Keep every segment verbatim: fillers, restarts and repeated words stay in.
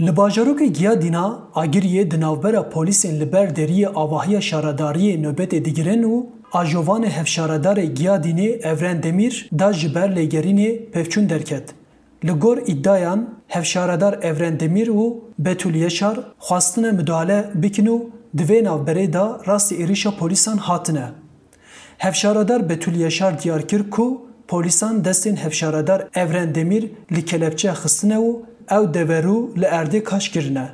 Li bajarokê Giyadîna Agiriyê di navbera polîsên li ber deriyê avahiya şaredariyê nobetê digirin û ajovanê hevşaredarê Giyadînê Evren Demîr da ji ber lêgerînê pevçûn derket. Li gor îdiayan, hevşaredar Evren Demîr û Betûl Yeşar xwestine midale bikin û di vê navberê de rastî êrişa polîsan hatine. Hevşaredar Betûl Yaşar diyar kir ku polîsan destên hevşaredar Evren Demîr li kelepçe xistine û ew deverû li erdê kaş kirine.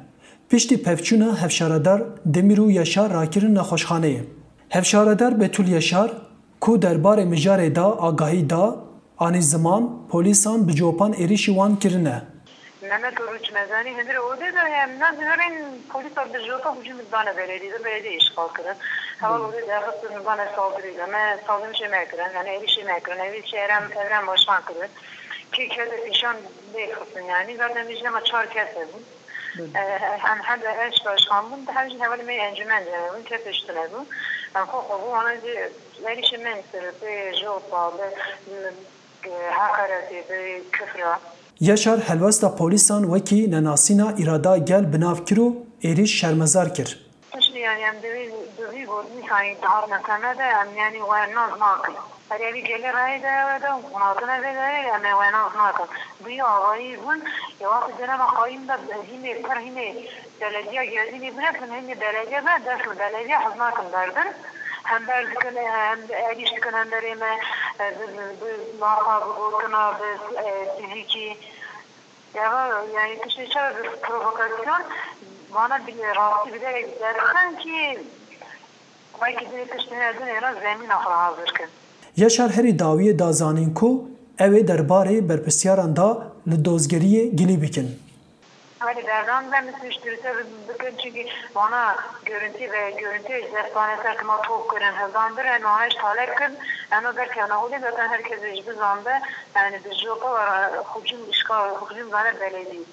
Piştî pevçûna hevşaredar Demîr û Yaşar rakirin nexweşxaneyê. Hevşaredar Betûl Yaşar ku derbarê mijarê de agahî da, anî ziman polîsan bi copan êrişî wan kirine. Mehmet Oruç Mezanî, hundirê odê de, em, na zivirên polîsa bi jota hücum dane belediyê de, belediye işgal kirin. Heval odê de xistin dane saldırî de, me saldırî jê me kirin, yani êrişî me kirin, êrişî Evren, Evren Başkan kirin. Ki kete pîşan lê xistin yani, zaten vî jî dema çar kes hebûn. E, hem, hem de eş başkan bûn, hem jî hevalê me encûmen de hebûn, kes tiştine bû. Em xwe xwe bû, wana jî êrişî me ser pê jota, bi, bi heqaretê, bi kifra. Yaşar helwesta polîsan wekî nenasîna îrada gel bi nav kir û êrîş şermezar kir. Tiştî, yani, em di vî, di vî gotinî sayî dihat me seme de, em, yani, we nas nakin. Her evî gelê rayê de ew de, hûn hatine vê derê, em ê we nas nakin. Bi wî avayî bûn, ya wextê dene me qayîm de, hînê, pir hînê belediya Gerdînê bine, hînê belediye be, dest li belediye hez nakin berdin. Hem ber dikin, hem êrîş dikin, hem berê me, e, bi, bi, bi laxa, bi gotina, bi, e, fizîkî. Ya, yani tiştê çawa bi provokasyon, vana bi rastî bi derek derxin ki, belkî dilê tiştê ne dinê re zemîna xwe hazir kin. Yaşar herî dawiyê da zanîn ku ew ê derbarê berpirsiyaran da li dozgeriyê gilî bikin. Hadi berdan ve mi tişt dirse bikin, çünkü vana görüntü ve görüntü destane ser kima top kirin, hizan bir, yani ona hiç talep kin, eno derkevna holê zaten herkes ji bizan be, yani bi jopa hücum işgal, hücum zane belediye.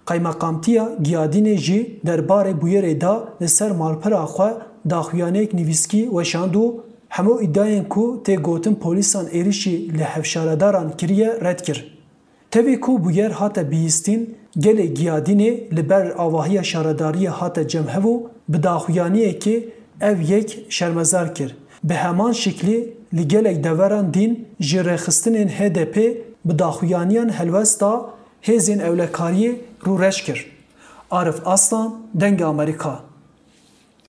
Qaymeqamtiya Giyadînê jî derbarê bûyerê da li ser malpera xwe daxuyaniyek nivîskî weşand û hemû îdiayên ku tê gotin polîsan êrişî li hevşaredaran kiriye red kir. Tevî ku bûyer hate bihîstin, gelê Giyadînê li ber avahiya şaredariyê hate cem hev û bi daxuyaniyekê ev yek şermezar kir. Bi heman şiklî li gelek deveran dîn ji rêxistinên H D P bi daxuyaniyan helwesta hêzên ewlekariyê rûreş kir. Arif Aslan, Dengê Amerîka.